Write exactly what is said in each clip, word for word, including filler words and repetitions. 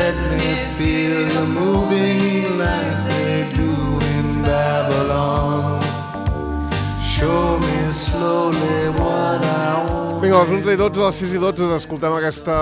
let me feel you moving like they do in Babylon. Show me slowly what I want. Vinga, a les onze i dotze, a les sis i dotze, escoltem aquesta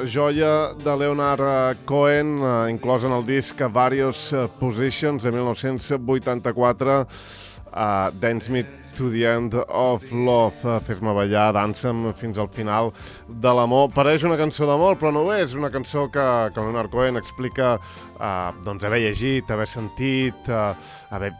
joia de Leonard Cohen, eh, inclosa en el disc Various Positions de mil nou-cents vuitanta-quatre, uh, Dance Me to the End of Love, uh, fes-me ballar, dansa'm fins al final de l'amor. Pareix una cançó d'amor, però no ho és, una cançó que, que Leonard Cohen explica uh, doncs haver llegit, haver sentit, uh, haver...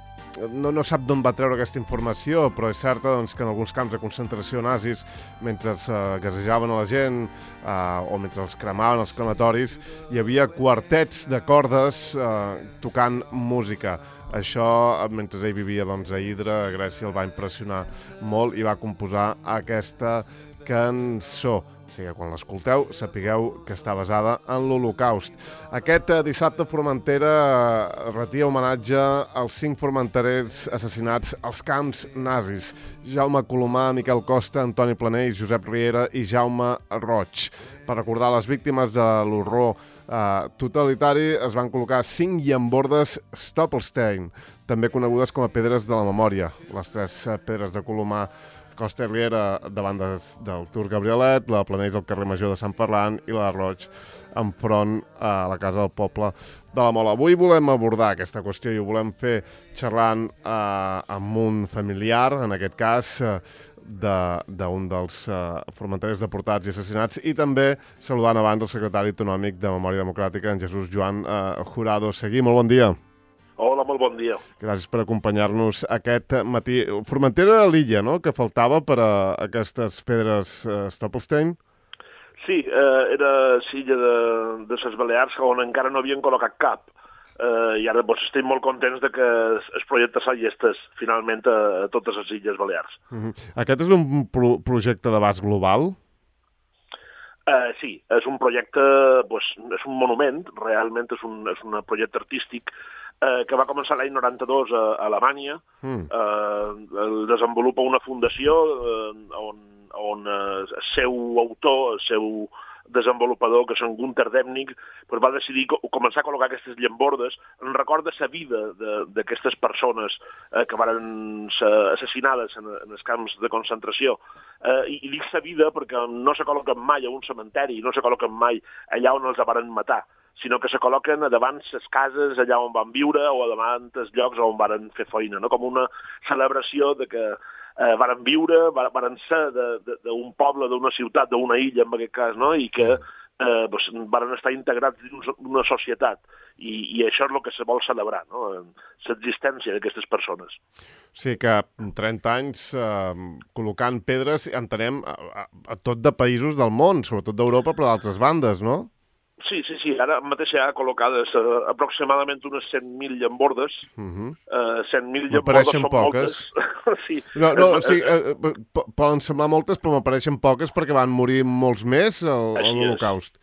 No, no sap d'on va treure aquesta informació, però és certa doncs, que en alguns camps de concentració nazis, mentre uh, gasejaven a la gent uh, o mentre els cremaven als crematoris, hi havia quartets de cordes uh, tocant música. Això, mentre ell vivia doncs, a Hydra, a Grècia, el va impressionar molt i va composar aquesta cançó. O sigui, quan l'escolteu, sapigueu que està basada en l'Holocaust. Aquest eh, dissabte Formentera eh, retia homenatge als cinc formenterers assassinats als camps nazis. Jaume Colomà, Miquel Costa, Antoni Planell, Josep Riera i Jaume Roig. Per recordar les víctimes de l'horror eh, totalitari es van col·locar cinc llambordes Stoppelstein, també conegudes com a pedres de la memòria. Les tres eh, pedres de Colomà, Costa i Riera davant de, del Tur Gabrielet, la Planells al carrer Major de Sant Ferran i la Roig enfront a la Casa del Poble de la Mola. Avui volem abordar aquesta qüestió i ho volem fer xerrant eh, amb un familiar, en aquest cas, eh, d'un de, dels uh, formenterers deportats i assassinats, i també saludant abans el secretari autonòmic de Memòria Democràtica, en Jesús Joan uh, Jurado Seguí. Molt bon dia. Hola, molt bon dia. Gràcies per acompanyar-nos aquest matí. Formentera era l'illa, no?, que faltava per a aquestes pedres uh, Stoppelstein? Sí, eh, era l'illa de, de les Balears on encara no havien col·locat cap. Eh, I ara doncs, estem molt contents de que el projecte s'ha llestes finalment a, a totes les illes Balears. Uh-huh. Aquest és un pro projecte d'abast global? Uh, sí, és un projecte, doncs, és un monument, realment és un, és un projecte artístic eh, que va començar l'any noranta-dos a, a Alemanya. Mm. Eh, el desenvolupa una fundació eh, on, on eh, el seu autor, el seu desenvolupador, que és en Gunther Demnig, doncs va decidir co començar a col·locar aquestes llambordes en record de la vida d'aquestes persones eh, que van ser assassinades en, en els camps de concentració. Eh, i, I dic la vida perquè no se col·loquen mai a un cementeri, no se col·loquen mai allà on els van matar, sinó que se col·loquen davant les cases allà on van viure o davant els llocs on van fer feina, no? Com una celebració de que eh, varen viure, varen ser d'un poble, d'una ciutat, d'una illa en aquest cas, no? I que eh, doncs, varen estar integrats dins una societat. I, i això és el que se vol celebrar, no? L'existència d'aquestes persones. O sigui que en trenta anys eh, col·locant pedres, entenem, a, a, a tot de països del món, sobretot d'Europa, però d'altres bandes, no? Sí, sí, sí. Ara mateix hi ha col·locades uh, aproximadament unes cent mil llambordes. Uh-huh. uh, cent mil llambordes són poques. moltes. Sí. No, no, o sigui, uh, poden semblar moltes, però m'apareixen poques perquè van morir molts més a l'Holocaust.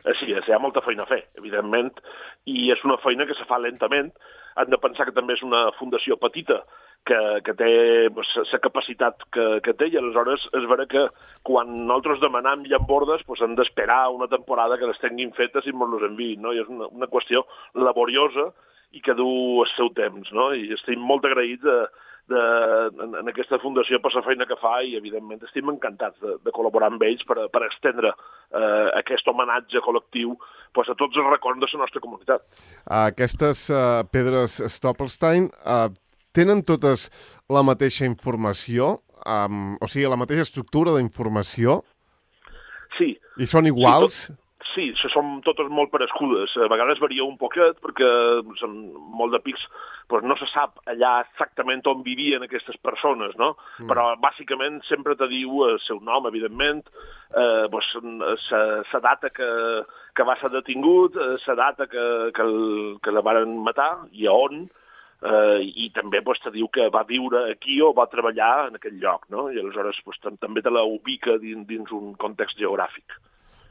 Així és, hi ha molta feina a fer, evidentment, i és una feina que se fa lentament. Han de pensar que també és una fundació petita, que, que té la capacitat que, que té, i aleshores és vera que quan nosaltres demanem llambordes doncs hem d'esperar una temporada que les tinguin fetes i ens les enviïn, no? I és una, una qüestió laboriosa i que du el seu temps, no? I estic molt agraïts de, de, en, en aquesta fundació per la feina que fa i, evidentment, estem encantats de, de col·laborar amb ells per, per estendre eh, aquest homenatge col·lectiu pues, a tots els records de la nostra comunitat. Aquestes uh, pedres Stoppelstein uh, tenen totes la mateixa informació? Um, o sigui, la mateixa estructura d'informació? Sí. I són iguals? Sí, tot... Sí, són totes molt parescudes. A vegades varia un poquet perquè són molt de pics, doncs no se sap allà exactament on vivien aquestes persones, no? Mm. Però bàsicament sempre te diu el seu nom, evidentment, eh, doncs, la data que, que va ser detingut, la data que, que, el, que la van matar i a on, eh, i també doncs, te diu que va viure aquí o va treballar en aquell lloc, no? I aleshores doncs, també te la ubica dins, dins un context geogràfic.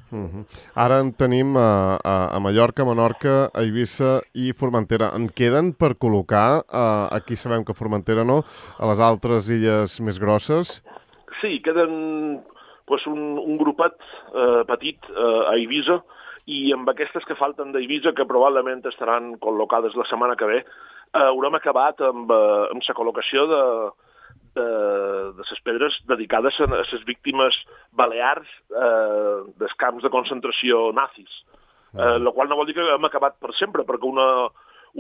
Uh-huh. Ara en tenim a, a, a Mallorca, Menorca, a Eivissa i Formentera. En queden per col·locar, uh, aquí sabem que Formentera no, a les altres illes més grosses? Sí, queden pues, un, un grupet uh, petit uh, a Eivissa i amb aquestes que falten d'Eivissa, que probablement estaran col·locades la setmana que ve, eh, haurem acabat amb, eh, amb la col·locació de, de, de les pedres dedicades a les víctimes balears eh, dels camps de concentració nazis. Eh, la qual no vol dir que hem acabat per sempre, perquè una,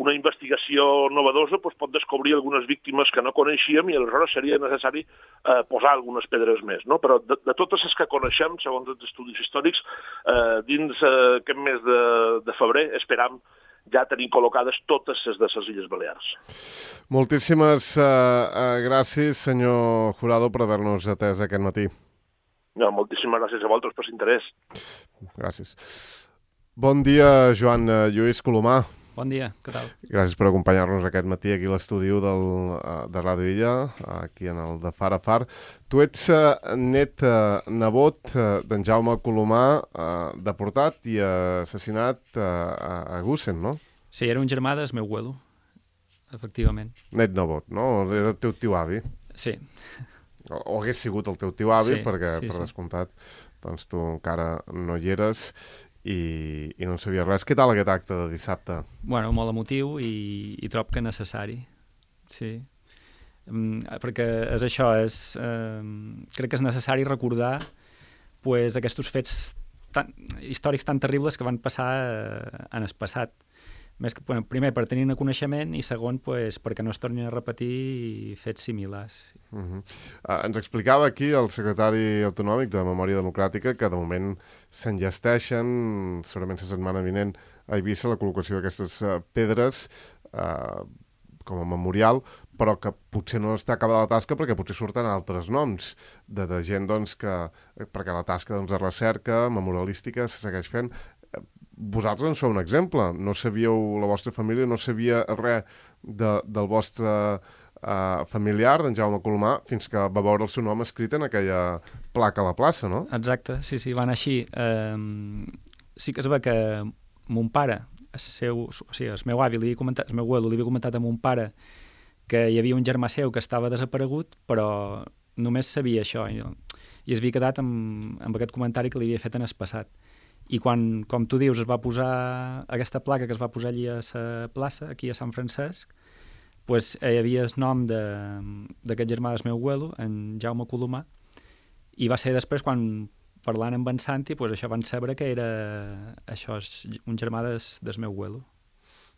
una investigació novedosa doncs, pot descobrir algunes víctimes que no coneixíem i aleshores seria necessari eh, posar algunes pedres més. No? Però de, de totes les que coneixem, segons els estudis històrics, eh, dins eh, aquest mes de, de febrer esperam ja tenir col·locades totes les de les Illes Balears. Moltíssimes uh, uh, gràcies, senyor Jurado, per haver-nos atès aquest matí. No, moltíssimes gràcies a vosaltres per l'interès. Gràcies. Bon dia, Joan Lluís Colomà. Bon dia, què tal? Gràcies per acompanyar-nos aquest matí aquí a l'estudi del, de Ràdio Illa, aquí en el de Far a Far. Tu ets uh, net uh, nebot uh, d'en Jaume Colomà, uh, deportat i uh, assassinat uh, a Gusen, no? Sí, era un germà del meu abuelo, efectivament. Net nebot, no? Era el teu tio avi. Sí. O, o hagués sigut el teu tio avi, sí, perquè, sí, per sí. descomptat, doncs tu encara no hi eres. I, i no en sabia res. Què tal aquest acte de dissabte? Bueno, molt emotiu i, i trob que necessari, sí. Um, perquè és això, és, um, crec que és necessari recordar pues, aquests fets tan, històrics tan terribles que van passar uh, en el passat. Més que, bueno, primer, per tenir un coneixement i segon, pues, perquè no es tornin a repetir fets similars. Uh-huh. Uh, ens explicava aquí el secretari autonòmic de Memòria Democràtica que de moment s'enllesteixen, segurament la setmana vinent a Eivissa, la col·locació d'aquestes uh, pedres uh, com a memorial, però que potser no està acabada la tasca perquè potser surten altres noms de, de gent doncs, que, perquè la tasca doncs, de recerca memorialística se segueix fent. Vosaltres en sou un exemple. No sabíeu, la vostra família no sabia res de, del vostre uh, familiar, d'en Jaume Colomà, fins que va veure el seu nom escrit en aquella placa a la plaça, no? Exacte, sí, sí, van així. Um, sí que es ve que mon pare, el, seu, o sigui, el meu avi, li havia comentat, el meu abuelo, li havia comentat a mon pare que hi havia un germà seu que estava desaparegut, però només sabia això. I, i es havia quedat amb, amb aquest comentari que li havia fet en el passat. I quan, com tu dius, es va posar aquesta placa que es va posar allí a la plaça, aquí a Sant Francesc, pues, hi havia el nom d'aquest germà del meu abuelo, en Jaume Colomà, i va ser després quan, parlant amb en Santi, pues, això van saber que era això, un germà del, del meu abuelo.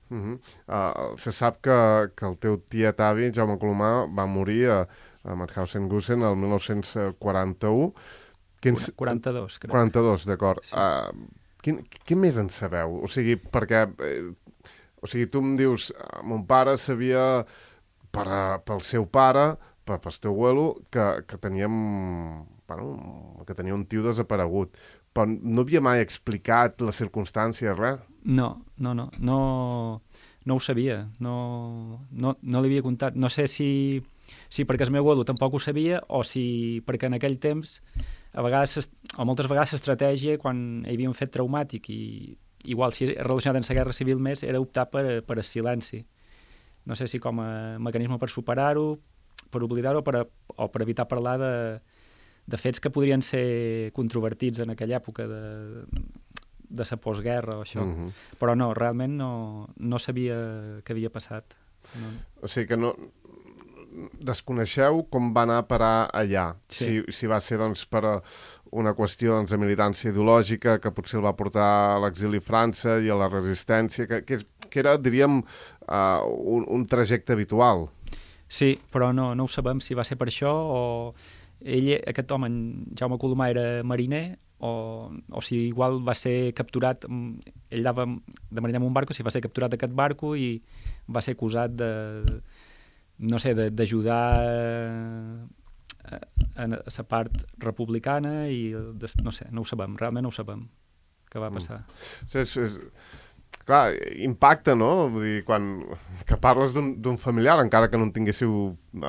Uh-huh. Uh, se sap que, que el teu tiet avi, Jaume Colomà, va morir a, a Mauthausen-Gusen el mil nou-cents quaranta-u. Quins... quaranta-dos, crec. quaranta-dos, d'acord. Sí. Uh, quin, què més en sabeu? O sigui, perquè... Eh, o sigui, tu em dius, mon pare sabia per, a, pel seu pare, per, pel teu abuelo, que, que teníem... Bueno, que tenia un tio desaparegut. Però no havia mai explicat les circumstàncies, res? No, no, no. No, no ho sabia. No, no, no li havia contat. No sé si, si perquè el meu abuelo tampoc ho sabia o si perquè en aquell temps a vegades, o moltes vegades, l'estratègia, quan hi havia un fet traumàtic, i igual si és relacionat amb la guerra civil més, era optar per, per el silenci. No sé si com a mecanisme per superar-ho, per oblidar-ho, per, o per evitar parlar de, de fets que podrien ser controvertits en aquella època de, de la postguerra o això. Uh-huh. Però no, realment no, no sabia què havia passat. No. O sigui que no... desconeixeu com va anar a parar allà. Sí. Si, si va ser doncs, per una qüestió doncs, de militància ideològica que potser el va portar a l'exili a França i a la resistència, que, que, és, que era, diríem, uh, un, un trajecte habitual. Sí, però no, no ho sabem si va ser per això o ell, aquest home, en Jaume Colomà, era mariner o, o si igual va ser capturat, ell anava de mariner en un barco, si va ser capturat d'aquest barco i va ser acusat de... no sé, d'ajudar a, a la part republicana i, de, no sé, no ho sabem, realment no ho sabem què va passar. Mm. Sí, és, és, clar, impacta, no? Vull dir, quan que parles d'un familiar, encara que no en tinguéssiu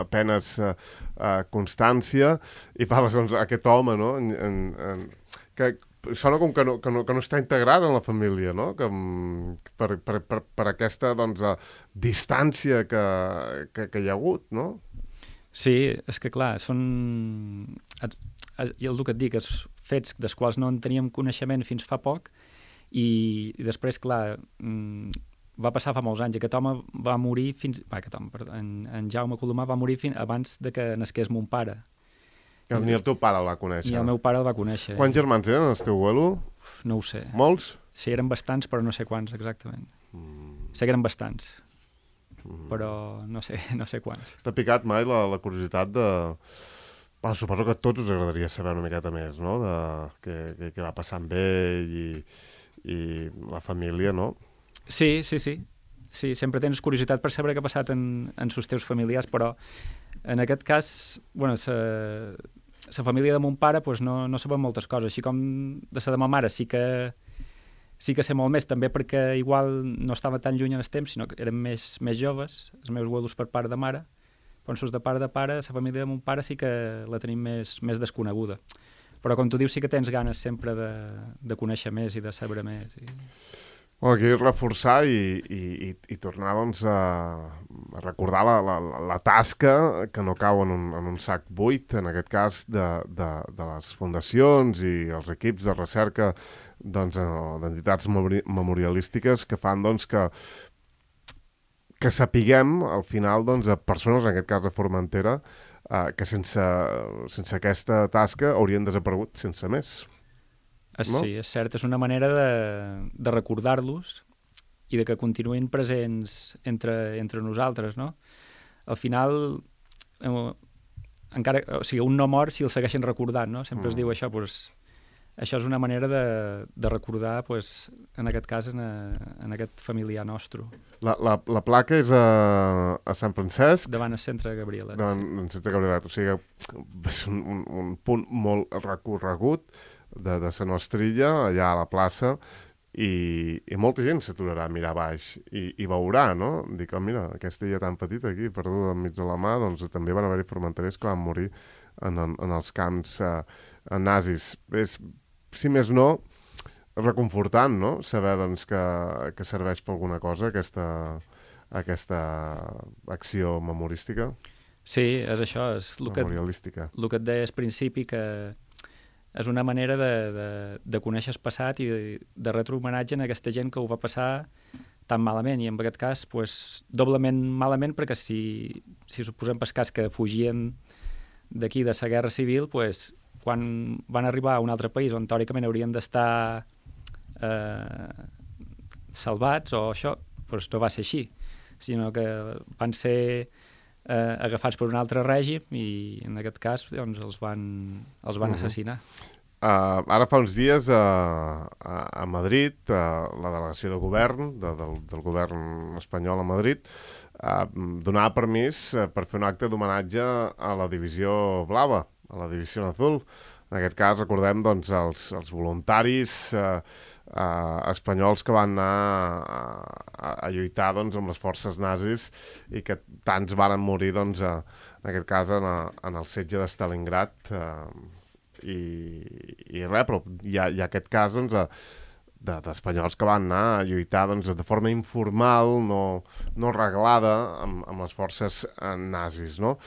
apenes uh, uh, constància, i parles doncs, aquest home, no? En, en, en, que sona com que no, que no, que no està integrat en la família, no? Que, per, per, per, per aquesta doncs, distància que, que, que hi ha hagut, no? Sí, és que clar, són... I el que et dic, els fets dels quals no en teníem coneixement fins fa poc I, i després, clar, va passar fa molts anys. Aquest home va morir fins... Va, aquest home, perdó, en, en Jaume Colomà va morir fins abans de que nasqués mon pare. I ni el teu pare el va conèixer. I el meu pare el va conèixer. Quants germans eren, el teu abuelo? Uf, no ho sé. Molts? Sí, eren bastants, però no sé quants exactament. Mm. Sé que eren bastants, mm. però no sé, no sé quants. T'ha picat mai la, la curiositat de... Bueno, suposo que a tots us agradaria saber una miqueta més, no?, de què, què, què va passar amb ell i, i la família, no? Sí, sí, sí. Sí, sempre tens curiositat per saber què ha passat en, en els teus familiars, però en aquest cas, bueno, la família de mon pare pues, no, no sabem moltes coses, així com de la de ma mare sí que sí que sé molt més, també perquè igual no estava tan lluny en el temps, sinó que érem més, més joves, els meus abuelos per part de mare, però en de part de pare, la família de mon pare sí que la tenim més, més desconeguda. Però com tu dius, sí que tens ganes sempre de, de conèixer més i de saber més. I... Bueno, aquí reforçar i, i, i, i tornar doncs, a, a recordar la, la, la tasca que no cau en un, en un sac buit, en aquest cas de, de, de les fundacions i els equips de recerca doncs, d'entitats memorialístiques que fan doncs, que que sapiguem, al final, doncs, a persones, en aquest cas a Formentera, eh, que sense, sense aquesta tasca haurien desaparegut sense més. No? Sí, és cert, és una manera de, de recordar-los i de que continuïn presents entre, entre nosaltres, no? Al final, eh, encara, o sigui, un no mor si el segueixen recordant, no? Sempre mm. es diu això, doncs, això és una manera de, de recordar, pues, en aquest cas, en, a, en aquest familiar nostre. La, la, la placa és a, a Sant Francesc? Davant el centre Gabrielet. Davant el centre Gabrielet, o sigui és un, un, un punt molt recorregut de, de la nostra illa, allà a la plaça, i, i molta gent s'aturarà a mirar baix i, i veurà, no? Dic, oh, mira, aquesta illa tan petita aquí, perduda enmig de la mà, doncs també van haver-hi formenterers que van morir en, en, en els camps eh, nazis. És, si més no, reconfortant, no?, saber doncs, que, que serveix per alguna cosa aquesta, aquesta acció memorística. Sí, és això, és el que, el que et deia al principi, que és una manera de, de, de conèixer el passat i de, de retre homenatge a aquesta gent que ho va passar tan malament, i en aquest cas pues, doblement malament, perquè si, si suposem pel cas que fugien d'aquí de la guerra civil, pues, quan van arribar a un altre país on teòricament haurien d'estar eh, salvats o això, doncs no va ser així, sinó que van ser eh, agafats per un altre règim i en aquest cas doncs, els van, els van uh-huh. assassinar. Uh, ara fa uns dies a, a, a Madrid, uh, la delegació de govern, de, del, del govern espanyol a Madrid, uh, donava permís uh, per fer un acte d'homenatge a la divisió blava, a la divisió azul. En aquest cas, recordem doncs, els, els voluntaris eh, eh, espanyols que van anar a, a, a lluitar doncs, amb les forces nazis i que tants varen morir, doncs, a, en aquest cas, en, a, en el setge de Stalingrad. Eh, i, I res, però hi ha, hi ha aquest cas doncs, d'espanyols que van anar a lluitar doncs, de forma informal, no, no reglada, amb, amb les forces eh, nazis, no?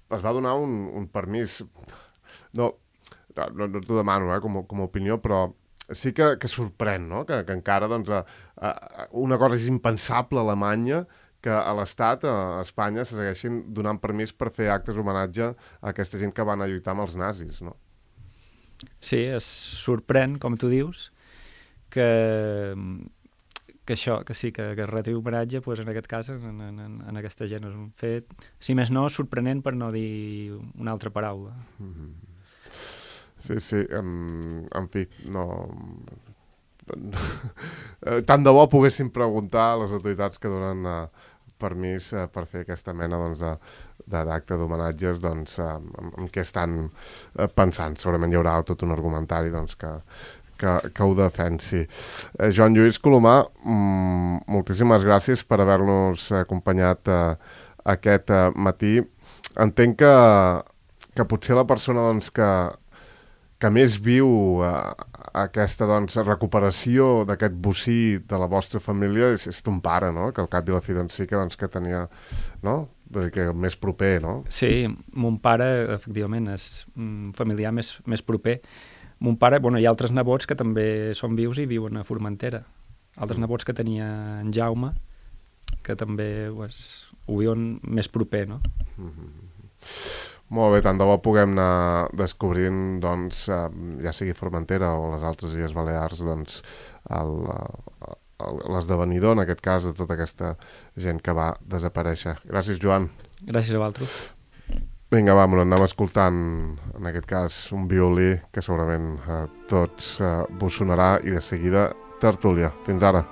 Es va donar un, un permís, no, no, no t'ho demano eh, com, com a opinió, però sí que, que sorprèn, no? que, que encara doncs, a, a, una cosa és impensable a Alemanya, que a l'Estat, a Espanya, se segueixin donant permís per fer actes d'homenatge a aquesta gent que van a lluitar amb els nazis. No? Sí, es sorprèn, com tu dius, que... que això, que sí, que, que es retri homenatge, pues, en aquest cas, en, en, en aquesta gent és un fet, si més no, sorprenent per no dir una altra paraula. Mm-hmm. Sí, sí, en, en fi, no... Tant de bo poguéssim preguntar a les autoritats que donen uh, permís uh, per fer aquesta mena doncs, d'acte d'homenatges, doncs, uh, en, en què estan uh, pensant. Segurament hi haurà tot un argumentari doncs, que Que, que ho defensi. Eh, Joan Lluís Colomà, mm, moltíssimes gràcies per haver-nos acompanyat eh, aquest eh, matí. Entenc que, que potser la persona doncs, que, que més viu eh, aquesta doncs, recuperació d'aquest bocí de la vostra família és, és ton pare, no? Que al cap i la fi doncs, sí que, doncs, que tenia, no? Vull dir que més proper, no? Sí, mon pare, efectivament, és un familiar més, més proper, mon pare, bueno, hi ha altres nebots que també són vius i viuen a Formentera. Altres nebots que tenia en Jaume, que també pues, ho viuen més proper, no? Mm-hmm. Molt bé, tant de bo puguem anar descobrint, doncs, eh, ja sigui Formentera o les altres Illes Balears, doncs, el, el, l'esdevenidor, en aquest cas, de tota aquesta gent que va desaparèixer. Gràcies, Joan. Gràcies a vosaltres. Vinga, va, anem escoltant, en aquest cas, un violí que segurament a tots eh, vos sonarà i de seguida tertúlia. Fins ara.